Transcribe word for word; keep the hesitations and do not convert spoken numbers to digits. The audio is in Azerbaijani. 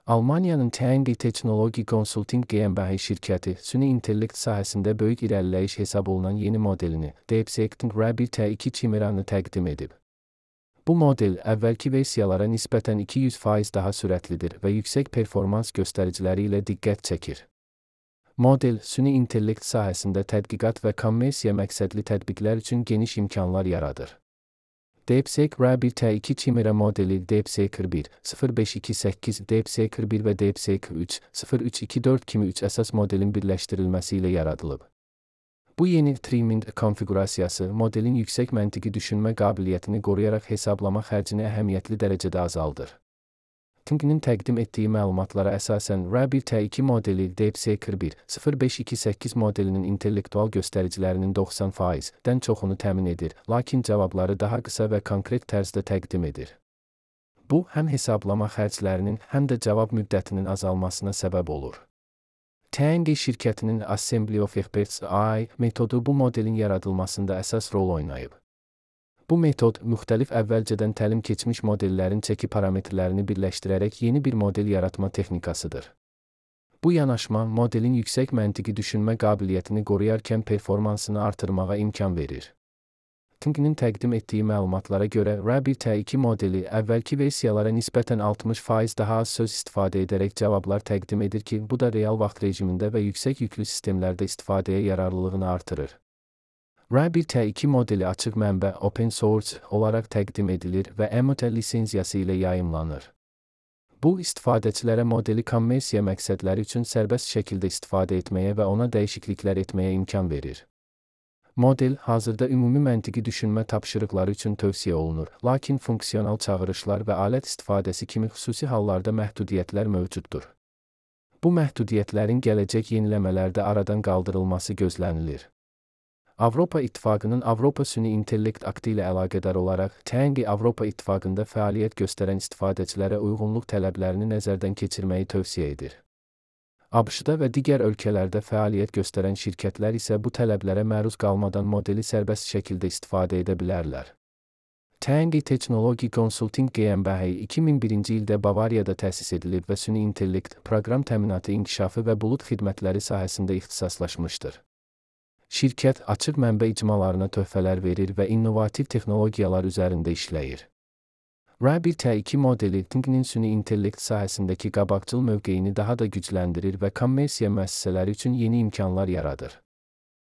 Almaniyanın T N G Technology Consulting GmbH şirkəti süni intellekt sahəsində böyük irəliləyiş hesab olunan yeni modelini DeepSeek'in R bir T iki Chimera'nı təqdim edib. Bu model əvvəlki versiyalara nisbətən iki yüz faiz daha sürətlidir və yüksək performans göstəriciləri ilə diqqət çəkir. Model, süni intellekt sahəsində tədqiqat və kommersiya məqsədli tətbiqlər üçün geniş imkanlar yaradır. DeepSeek R bir T iki Chimera modeli DeepSeek R bir, sıfır beş iki səkkiz, DeepSeek R bir və DeepSeek üç, sıfır üç iki dörd kimi üç əsas modelin birləşdirilməsi ilə yaradılıb. Bu yeni triming konfiqurasiyası modelin yüksək məntiqi düşünmə qabiliyyətini qoruyaraq hesablama xərcini əhəmiyyətli dərəcədə azaldır. Thinking-nin təqdim etdiyi məlumatlara əsasən R bir T iki modeli DeepSeek R bir, sıfır beş iki səkkiz modelinin intellektual göstəricilərinin doxsan faizdən çoxunu təmin edir, lakin cavabları daha qısa və konkret tərzdə təqdim edir. Bu, həm hesablama xərclərinin, həm də cavab müddətinin azalmasına səbəb olur. T N G şirkətinin Assembly of Experts A I metodu bu modelin yaradılmasında əsas rol oynayıb. Bu metod, müxtəlif əvvəlcədən təlim keçmiş modellərin çəki parametrlərini birləşdirərək yeni bir model yaratma texnikasıdır. Bu yanaşma, modelin yüksək məntiqi düşünmə qabiliyyətini qoruyarkən performansını artırmağa imkan verir. Thinking-nin təqdim etdiyi məlumatlara görə R bir T iki modeli əvvəlki versiyalara nisbətən altmış faiz daha az söz istifadə edərək cavablar təqdim edir ki, bu da real vaxt rejimində və yüksək yüklü sistemlərdə istifadəyə yararlılığını artırır. R bir T iki modeli açıq mənbə open source olaraq təqdim edilir və M O T lisenziyası ilə yayımlanır. Bu, istifadəçilərə modeli kommersiya məqsədləri üçün sərbəst şəkildə istifadə etməyə və ona dəyişikliklər etməyə imkan verir. Model, hazırda ümumi məntiqi düşünmə tapşırıqları üçün tövsiyə olunur, lakin funksional çağırışlar və alət istifadəsi kimi xüsusi hallarda məhdudiyyətlər mövcuddur. Bu məhdudiyyətlərin gələcək yeniləmələrdə aradan qaldırılması gözlənilir. Avropa İttifaqının Avropa Süni İntellekt Aktı ilə əlaqədar olaraq T N G Avropa İttifaqında fəaliyyət göstərən istifadəçilərə uyğunluq tələblərini nəzərdən keçirməyi tövsiyə edir. ABŞ-da və digər ölkələrdə fəaliyyət göstərən şirkətlər isə bu tələblərə məruz qalmadan modeli sərbəst şəkildə istifadə edə bilərlər. T N G Technology Consulting GmbH iki min birinci ildə Bavariyada təsis edilib və süni intellekt, proqram təminatı inkişafı və bulud xidmətləri sahəsində ixtisaslaşmışdır. Şirkət açıq mənbə icmalarına töhfələr verir və innovativ texnologiyalar üzərində işləyir. R bir T iki modeli Thinking-nin süni intellekt sahəsindəki qabaqcıl mövqeyini daha da gücləndirir və kommersiya müəssisələri üçün yeni imkanlar yaradır.